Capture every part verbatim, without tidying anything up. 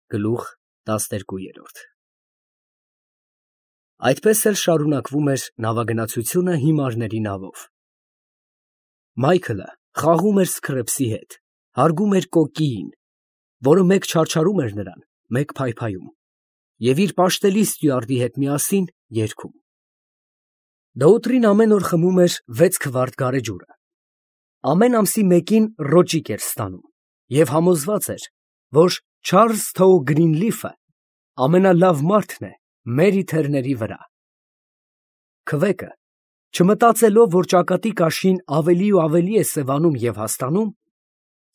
Գլուխ տասներկու։ Այդպես էլ շարունակվում էր նավագնացությունը հիմարների նավով։ Մայքլը խաղում էր Սքրեպսի հետ, հարգում էր կոկկիին, որը մեկ չարչարում էր նրան, մեկ փայփայում, և իր պաշտելի ստյուարդի հետ միասին երգում։ Դոուտրին ամեն օր խմում էր վեց քվարտ գարեջուրը, ամեն ամսի մեկին ռոճիկ էր ստանում և համոզված էր, որ Չարլզ Թոու Գրինլիֆը ամենալավ մարդն է մեր իթեռների վրա։ Քվեկը, չմտածելով, որ ճակատի կաշին ավելի ու ավելի է սևանում և հաստանում,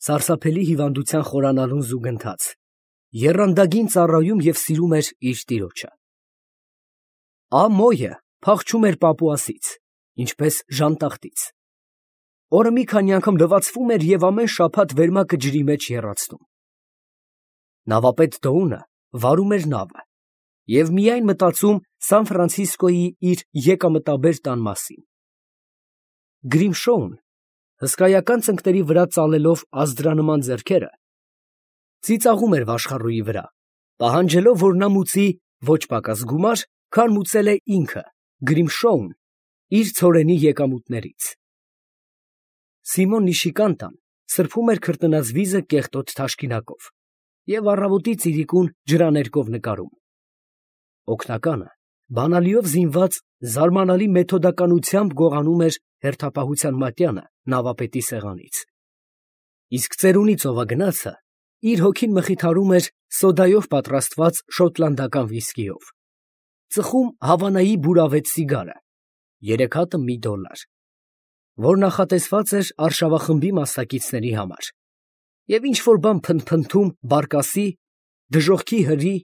սարսափելի հիվանդության խորանալուն զուգընթաց, եռանդագին ծառայում և սիրում էր իր տիրոջը։ Ամոյը փախչում էր պապուասից, ինչպես ժանտախտից, օրը մի քանի անգամ լվացվում էր և ամեն շաբաթ վերմակը ջրի մեջ եռացնում։ Նավապետ Դոունը վարում էր նավը և միայն մտածում Սան Ֆրանցիսկոյի իր եկամտաբեր տան մասին։ Գրիմշոուն, հսկայական ծնկների վրա ծալելով ազդրանման ձեռքերը, ծիծաղում էր վաշխառուի վրա, պահանջելով, որ նա մուծի ոչ պակաս գումար, քան մուծել է ինքը, Գրիմշոուն, իր ցորենի եկամուտներից։ Սիմոն Նիշիկանտան սրբում էր քրտնած վիզը կեղտոտ թաշկինակով և առավոտի ծիրիկուն ջրաներկով նկարում։ Օգնականը, բանալիով զինված, զարմանալի մեթոդականությամբ գողանում էր հերթապահության մատյանը նավապետի սեղանից, իսկ ծերունի ծովագնացը իր հոգին մխիթարում էր սոդայով պատրաստված շոտլանդական վիսկիով, ծխում Հավանայի բուրավետ սիգարը, երեք հատը մի դոլար, որ նախատեսված էր արշավախմբի մասնակիցների համար, և ինչ֊որ բան փնթփնթում բարկասի, դժոխքի հրի,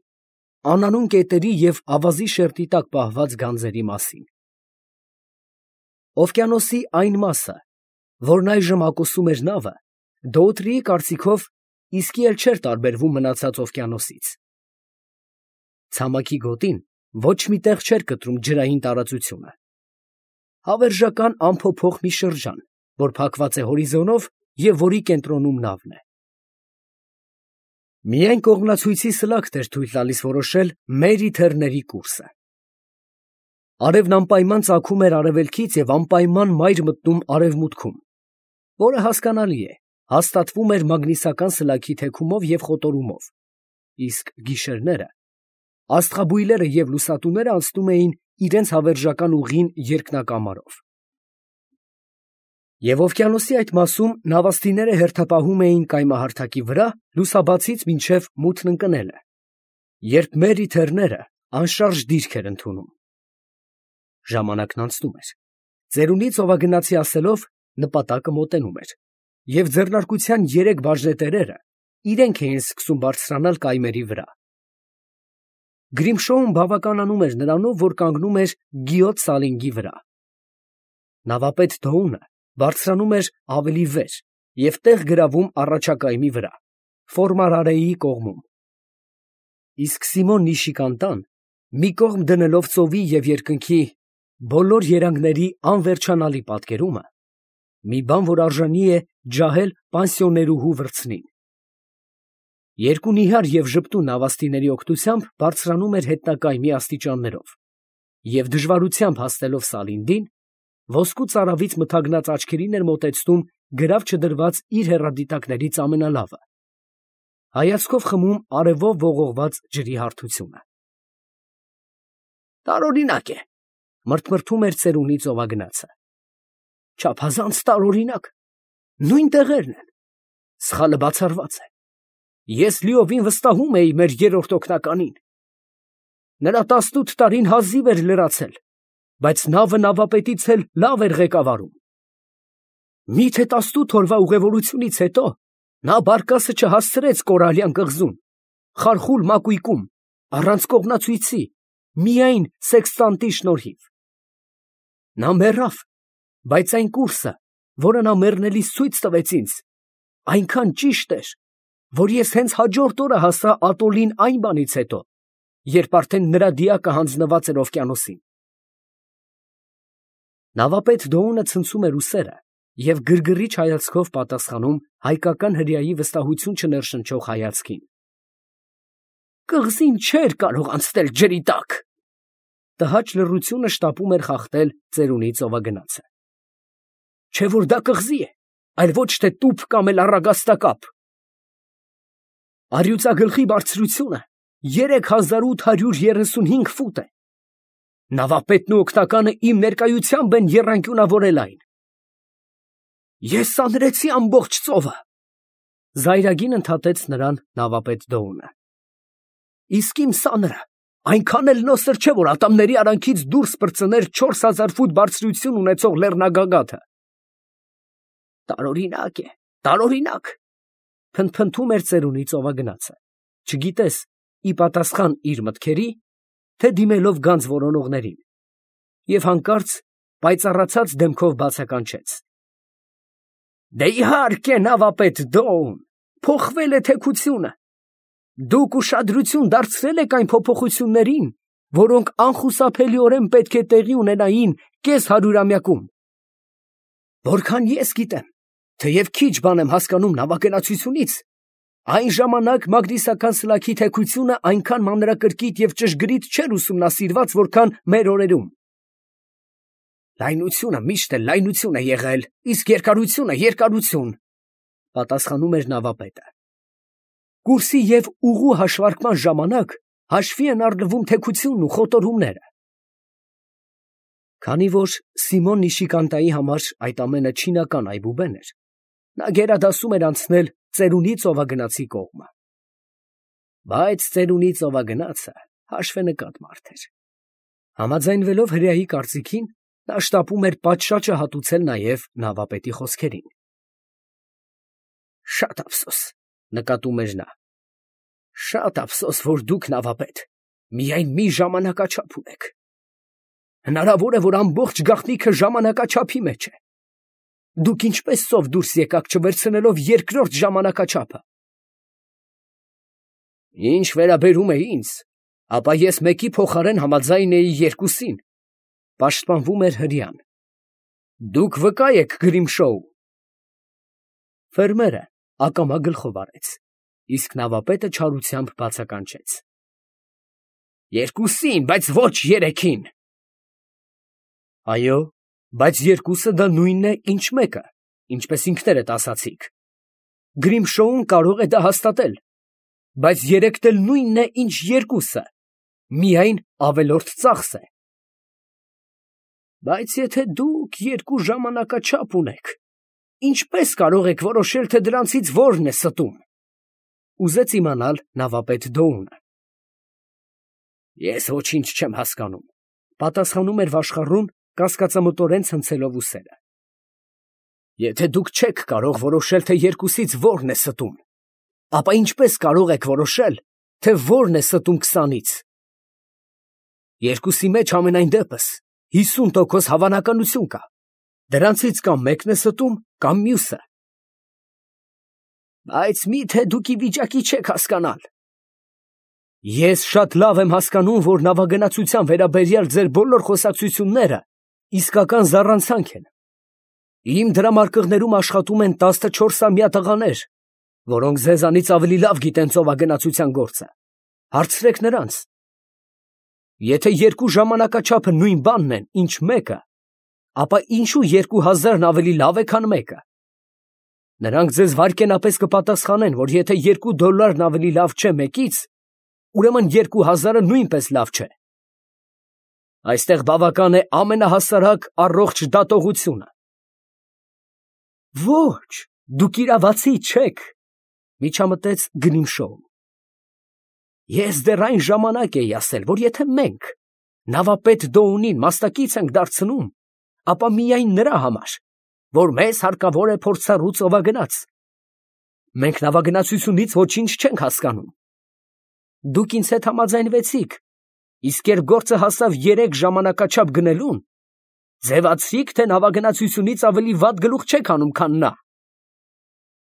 անանուն կետերի և ավազի շերտի տակ պահված գանձերի մասին։ Օվկիանոսի այն մասը, որն այժմ ակոսում էր նավը, Դոուտրիի կարծիքով իսկի էլ չէր տարբերվում մնացած օվկիանոսից։ Ցամաքի գոտին ոչ մի տեղ չէր կտրում ջրային տարածությունը, հավերժական անփոփոխ մի շրջան, որ փակված է հորիզոնով և որի կենտրոնում նավն է։ Միայն կողմնացույցի սլաքն էր թույլ տալիս որոշել մեր իթեռների կուրսը։ Արևն անպայման ծագում էր արևելքից և անպայման մայր մտնում արևմուտքում, որը հասկանալի է, հաստատվում էր մագնիսական սլաքի թեքումով և խոտորումով, իսկ գիշերները աստղաբույլերը և լուսատուները անցնում էին իրենց հավերժական ուղին երկնակամարով։ Եվ օվկիանոսի այդ մասում նավաստիները հերթապահում էին կայմահարթակի վրա լուսաբացից մինչև մութն ընկնելը, երբ մեր իթեռները անշարժ դիրք էր ընդունում։ Ժամանակն անցնում էր, ծերունի ծովագնացի ասելով, նպատակը մոտենում էր, և ձեռնարկության երեք բաժնետերերը իրենք էին սկսում բարձրանալ կայմերի վրա։ Գրիմշոուն բավականանում էր նրանով, որ կանգնում էր Գիոտ Սալինգի վրա։ Նավապետ Դոունը բարձրանում էր ավելի վեր և տեղ գրավում առաջակայմի վրա, Ֆորմարարեի կողմում, իսկ Սիմոն Նիշիկանտան, մի կողմ դնելով ծովի և երկնքի բոլոր երանգների անվերջանալի պատկերումը, մի բան, որ արժանի է ջահել պանսիոներուհու վրձնին։ Երկու նիհար և ժպտուն նավաստիների օգնությամբ բարձրանում էր հետնակայմի աստիճաններով և դժվարությամբ հասնելով Սալինդին, ոսկու ծարավից մթագնած աչքերին էր մոտեցնում գրավ չդրված իր հեռադիտակներից ամենալավը, հայացքով խմում արևով ողողված ջրի հարթությունը։ Տարօրինակ է, մրթմրթում էր ծերունի ծովագնացը, չափազանց տարօրինակ, նույն տեղերն են, սխալը բացառված է, ես լիովին վստահում էի մեր երրորդ օգնականին, նրա տասնութ տարին հազիվ էր լրացել, բայց նավը նավապետից էլ լավ էր ղեկավարում։ Մի՞թե տասնութ օրվա ուղևորությունից հետո նա բարկասը չհասցրեց Կորալյան կղզուն, խարխուլ մակույկում, առանց կողմնացույցի, միայն սեքստանտի շնորհիվ։ Նա մեռավ, բայց այն կուրսը, որը նա մեռնելիս ցույց տվեց ինձ, այնքան ճիշտ էր, որ ես հենց հաջորդ օրը հասա ատոլին այն բանից հետո, երբ արդեն նրա դիակը հանձնված էր օվկիանոսին։ Նավապետ Դոունը ցնցում էր ուսերը և գրգռիչ հայացքով պատասխանում հայկական հրեայի վստահություն չներշնչող հայացքին։ կղզին չէր կարող անցնել ջրի տակ։ Տհաճ լռությունը շտապում էր խախտել ծերունի ծովագնացը։ Չէ որ դա կղզի է, այլ ոչ թե տուփ կամ էլ առագաստակապ։ Առյուծագլխի բարձրությունը երեք հազար ութ հարյուր երեսունհինգ ֆուտ է։ Նավապետն ու օգնականը իմ ներկայությամբ են եռանկյունավորել այն։ Ես սանրեցի ամբողջ ծովը։ Զայրագին ընդհատեց նրան նավապետ Դոունը։ Իսկ իմ սանրը այնքան էլ նոսր չէ, որ ատամների արանքից դուրս պրծներ չորս հազար ֆուտ բարձրություն ունեցող լեռնագագաթը։ Տարօրինակ է, տարօրինակ, փնթփնթում էր ծերունի ծովագնացը, չգիտես ի պատասխան իր մտքերի, թե դիմելով գանձ որոնողներին, և հանկարծ պայծառացած դեմքով բացականչեց. Դե իհարկե, նավապետ Դոուն, փոխվել է թեքությունը։ Դուք ուշադրություն դարձրել եք այն փոփոխություններին, որոնք անխուսափելիորեն պետք է տեղի ունենային կես հարյուրամյակում։ Որքան ես գիտեմ, թեև քիչ բան եմ հասկանում նավագնացությունից, այն ժամանակ մագնիսական սլաքի թեքությունը այնքան մանրակրկիտ և ճշգրիտ չէր ուսումնասիրված, որքան մեր օրերում։ Լայնությունը միշտ էլ լայնություն է եղել, իսկ երկարությունը երկարություն, պատասխանում էր նավապետը։ Կուրսի և ուղու հաշվարկման ժամանակ հաշվի են առնվում թեքությունն ու խոտորումները։ Քանի որ Սիմոն Նիշիկանտայի համար այդ ամենը չինական այբուբեն էր, նա գերադասում էր անցնել ծերունի ծովագնացի կողմը։ Բայց ծերունի ծովագնացը հաշվենկատ մարդ էր։ Համաձայնվելով հրեայի կարծիքին, նա շտապում էր պատշաճը հատուցել նաև նավապետի խոսքերին։ Շատ ափսոս, նկատում էր նա, շատ ափսոս, որ դուք նավապետ միայն մի ժամանակաչափ ունեք։ Հնարավոր է, որ ամբողջ գաղտնիքը ժամանակաչափի մեջ է։ Դուք ինչպես ծով դուրս եկաք չվերցնելով երկրորդ ժամանակաչափը։ Ինչ վերաբերում է ինձ, ապա ես մեկի փոխարեն համաձայն էի երկուսին, պաշտպանվում էր հրեան։ Դուք վկա եք Գրիմշոու։ Ֆերմերը ակամա գլխով արեց, իսկ նավապետը չարությամբ բացականչեց. Երկուսին, բայց ոչ երեքին։ Այո, բայց երկուսը դա նույնն է, ինչ մեկը, ինչպես ինքներդ ասացիք։ Գրիմշոուն կարող է դա հաստատել, բայց երեքն էլ նույնն է, ինչ երկուսը, միայն ավելորդ ծախս է։ Բայց եթե դուք երկու ժամանակաչափ ունեք, ինչպես կարող եք որոշել, թե դրանցից որն է ստում, ուզեց իմանալ նավապետ Դոունը։ Ես ոչինչ չեմ հասկանում, պատասխանում էր վաշխառուն, կասկածամտորեն ցնցելով ուսերը։ Եթե դուք չեք կարող որոշել, թե երկուսից որն է ստում, ապա ինչպես կարող եք որոշել, թե որն է ստում քսանից։ Երկուսի մեջ ամենայն դեպս հիսուն տոկոս հավանականություն կա, դրանցից կամ մեկն է ստում, կամ մյուսը։ Բայց միթե դուք ի վիճակի չեք հասկանալ։ Ես շատ լավ եմ հասկանում, որ նավագնացության վերաբերյալ ձեր բոլոր խոսակցությունները իսկական զառանցանք են։ Իմ դրամարկղներում աշխատում են տասնչորսամյա տղաներ, որոնք ձեզանից ավելի լավ գիտեն ծովագնացության գործը։ Հարցրեք նրանց։ Եթե երկու ժամանակաչափը նույն բանն են, ինչ մեկը, ապա ինչու երկու հազարն ավելի լավ է, քան մեկը։ Նրանք ձեզ վայրկենապես կպատասխանեն, որ եթե երկու դոլարն ավելի լավ չէ մեկից, ուրեմն երկու հազարը նույնպես լավ չէ։ Այստեղ բավական է ամենահասարակ առողջ դատողությունը։ Ոչ, դուք իրավացի չեք, միջամտեց Գրիմշոուն։ Ես դեռ այն ժամանակ էի ասել, որ եթե մենք նավապետ Դոունին մասնակից ենք դարձնում, ապա միայն նրա համար, որ մեզ հարկավոր է փորձառու ծովագնաց։ Մենք նավագնացությունից ոչինչ չենք հասկանում։ Դուք ինձ հետ համաձայնվեցիք, իսկ երբ գործը հասավ երեք ժամանակաչափ գնելուն, ձևացրիք, թե նավագնացությունից ավելի վատ գլուխ չեք անում, քան նա։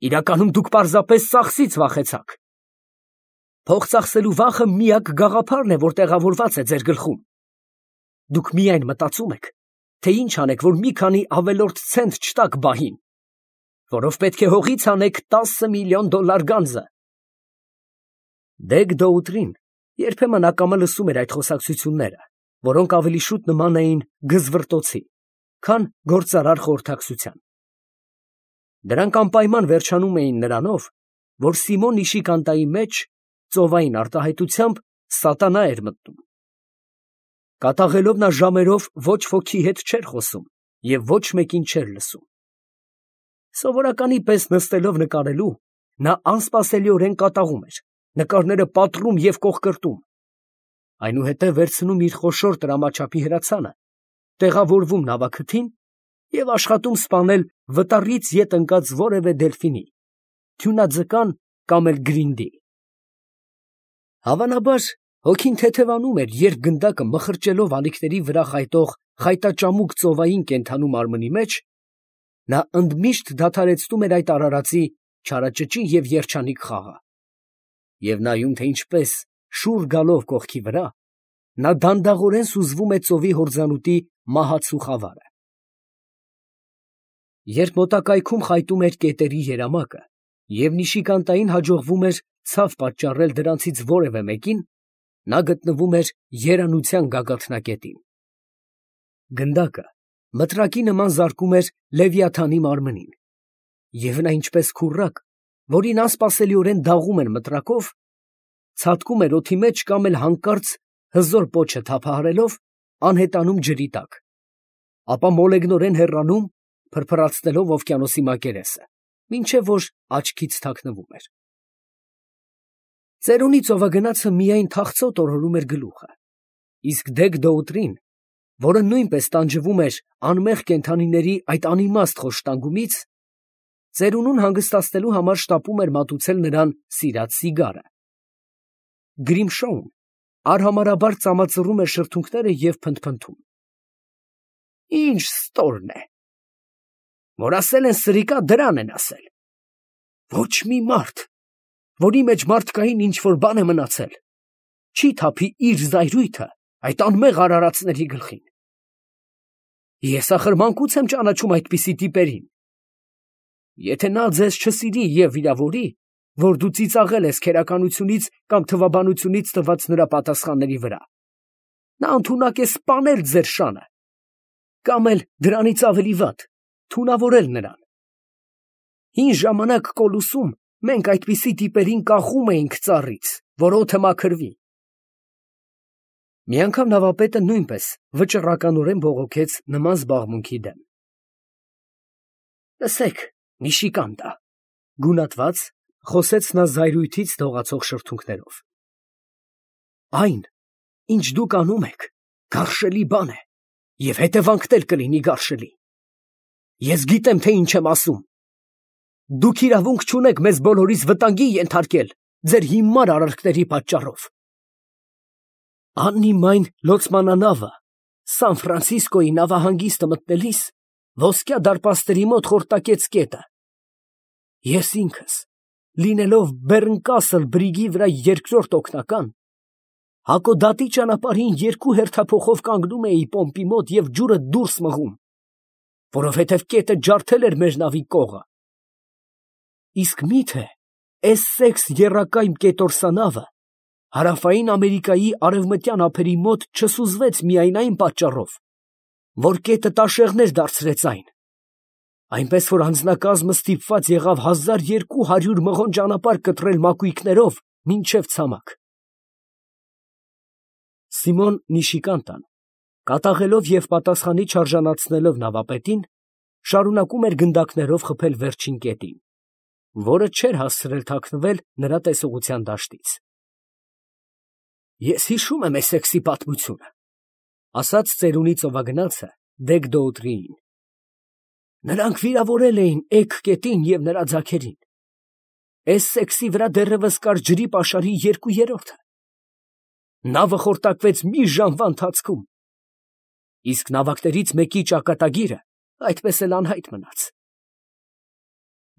Իրականում դուք պարզապես ծախսից վախեցաք։ Փող ծախսելու վախը միակ գաղափարն է, որ տեղավորված է ձեր գլխում։ Դուք միայն մտածում եք, թե ինչ անեք, որ մի քանի ավելորդ ցենտ չտաք բահին, որով պետք է հողից անեք տասը միլիոն դոլար գանձը։ Դեգ Դոուտրին Երբեմն ակամա լսում էր այդ խոսակցությունները, որոնք ավելի շուտ նման էին գզվռտոցի, քան գործարար խորհրդակցության։ Դրանք անպայման վերջանում էին նրանով, որ Սիմոն Նիշիկանտայի մեջ ծովային արտահայտությամբ սատանա էր մտնում։ Կատաղելով նա ժամերով ոչ ոքի հետ չէր խոսում և ոչ մեկին չէր լսում։ Սովորականի պես նստելով նկարելու, նա անսպասելիորեն կատաղում էր, նկարները պատռում և կոխկրտում, այնուհետև վերցնում իր խոշոր տրամաչափի հրացանը, տեղավորվում նավաքթին և աշխատում սպանել վտառից ետ ընկած որևէ դելֆինի, թյունաձկան կամ էլ գրինդի։ Հավանաբար հոգին թեթևանում էր, երբ գնդակը մխրճելով ալիքների վրա խայտող խայտաճամուկ ծովային կենդանու մարմնի մեջ, նա ընդմիշտ դադարեցնում էր այդ արարածի չարաճճի և երջանիկ խաղը, և նայում, թե ինչպես շուռ գալով կողքի վրա, նա դանդաղորեն սուզվում է ծովի հորձանուտի մահացու խավարը։ Երբ մոտակայքում խայտում էր կետերի երամակը, և Նիշիկանտային հաջողվում էր ցավ պատճառել դրանցից որևէ մեկին, նա գտնվում էր երանության գագաթնակետին։ Գնդակը մտրակի նման զարկում էր Լևիաթանի մարմնին, և նա ինչպես քուռակ, որին անսպասելիորեն դաղում են մտրակով, ցատկում էր օդի մեջ կամ էլ հանկարծ հզոր պոչը թափահարելով անհետանում ջրի տակ, ապա մոլեգնորեն հեռանում, փրփրացնելով օվկիանոսի մակերեսը, մինչև որ աչքից թաքնվում էր։ Ծերունի ծովագնացը միայն թախծոտ օրորում էր գլուխը, իսկ դեգ֊դոուտրին, որը նույնպես տանջվում էր անմեղ կենդանիների այդ անիմաստ խոշտանգումից, ծերունուն հանգստացնելու համար շտապում էր մատուցել նրան սիրած սիգարը։ Գրիմշոուն արհամարհաբար ծամածռում էր շրթունքները և փնթփնթում. «Ի՜նչ ստորն է, որ ասել են սրիկա, դրան են ասել. ոչ մի մարդ, որի մեջ մարդկային ինչ֊որ բան է մնացել, չի թափի իր զայրույթը այդ անմեղ արարածների գլխին։ Ես ախր մանկուց եմ ճանաչում այդպիսի տիպերին. եթե նա ձեզ չսիրի և վիրավորի, որ դու ծիծաղել ես քերականությունից կամ թվաբանությունից տված նրա պատասխանների վրա, նա ընդունակ է սպանել ձեր շանը, կամ էլ դրանից ավելի վատ, թունավորել նրան։ Հին ժամանակ Կոլոսում մենք այդպիսի տիպերին կախում էինք ծառից, որ օդը մաքրվի»։ Մի անգամ նավապետը նույնպես վճռականորեն բողոքեց նման զբաղմունքի դեմ։ «Լսեք, Նիշիկանտա, ֊ գունատված խոսեց նա զայրույթից դողացող շրթունքներով, ֊ այն, ինչ դուք անում եք, գարշելի բան է և հետևանքն էլ կլինի գարշելի։ Ես գիտեմ, թե ինչ եմ ասում։ Դուք իրավունք չունեք մեզ բոլորիս վտանգի ենթարկել ձեր հիմար արարքների պատճառով։ Աննիմայն լոցմանանավը Սան Ֆրանցիսկոյի նավահանգիստը մտնելիս ոսկյա դարպասների մոտ խորտակեց կետը։ Ես ինքս, լինելով Բեռնկասլ բրիգի վրա երկրորդ օգնական, Հակոդատի ճանապարհին երկու հերթափոխով կանգնում էի պոմպի մոտ և ջուրը դուրս մղում, որովհետև կետը ջարդել էր մեր նավի կողը։ Իսկ մի՞թե Էսսեքս եռակայմ կետորսանավը Հարավային Ամերիկայի արևմտյան ափերի մոտ չսուզվեց միայն այն պատճառով, որ կետը տաշեղներ դարձրեց այն, այնպես որ անձնակազմը ստիպված եղավ հազար երկու հարյուր մղոն ճանապարհ կտրել մակույկներով մինչև ցամաք»։ Սիմոն Նիշիկանտան, կատաղելով և պատասխանի չարժանացնելով նավապետին, շարունակում էր գնդակներով խփել վերջին կետին, որը չէր հասցրել թաքնվել նրա տեսողության դաշտից։ «Ես հիշում եմ Էսսեքսի պատմությունը, ֊ ասաց ծերունի ծովագնացը դեգ֊դոուտրիին. նրանք վիրավորել էին էգ կետին և նրա ձագերին։ Էսսեքսի վրա դեռևս կար ջրի պաշարի երկու երրորդը։ Նավը խորտակվեց մի ժամվա ընթացքում, իսկ նավակներից մեկի ճակատագիրը այդպես էլ անհայտ մնաց։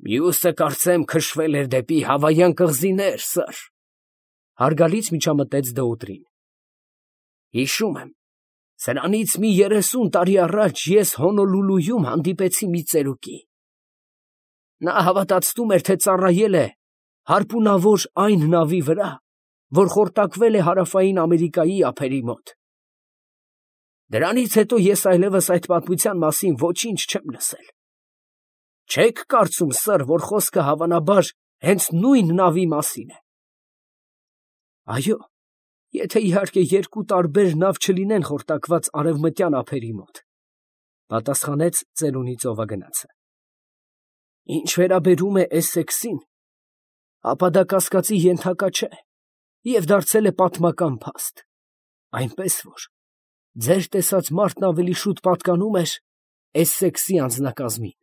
Մյուսը, կարծեմ, քշվել էր դեպի Հավայան կղզիներ, սըր, ֊ հարգալից միջամտեց Դոուտրին։ Հիշում եմ, սրանից մի երեսուն տարի առաջ ես Հոնոլուլուում հանդիպեցի մի ծերուկի։ Նա հավատացնում էր, թե ծառայել է հարպունավոր այն նավի վրա, որ խորտակվել է Հարավային Ամերիկայի ափերի մոտ։ Դրանից հետո ես այլևս այդ պատմության մասին ոչինչ չեմ լսել։ Չե՞ք կարծում, սըր, որ խոսքը հավանաբար հենց նույն նավի մասին է։ Այո, եթե իհարկե երկու տարբեր նավ չլինեն խորտակված արևմտյան ափերի մոտ, պատասխանեց ծերունի ծովագնացը։ Ինչ վերաբերում է Էսսեքսին, ապա դա կասկածի ենթակա չէ և դարձել է պատմական փաստ, այնպես որ ձեր տեսած մարդն ավելի շուտ պատկանում էր Էսսեքսի անձնակազմին։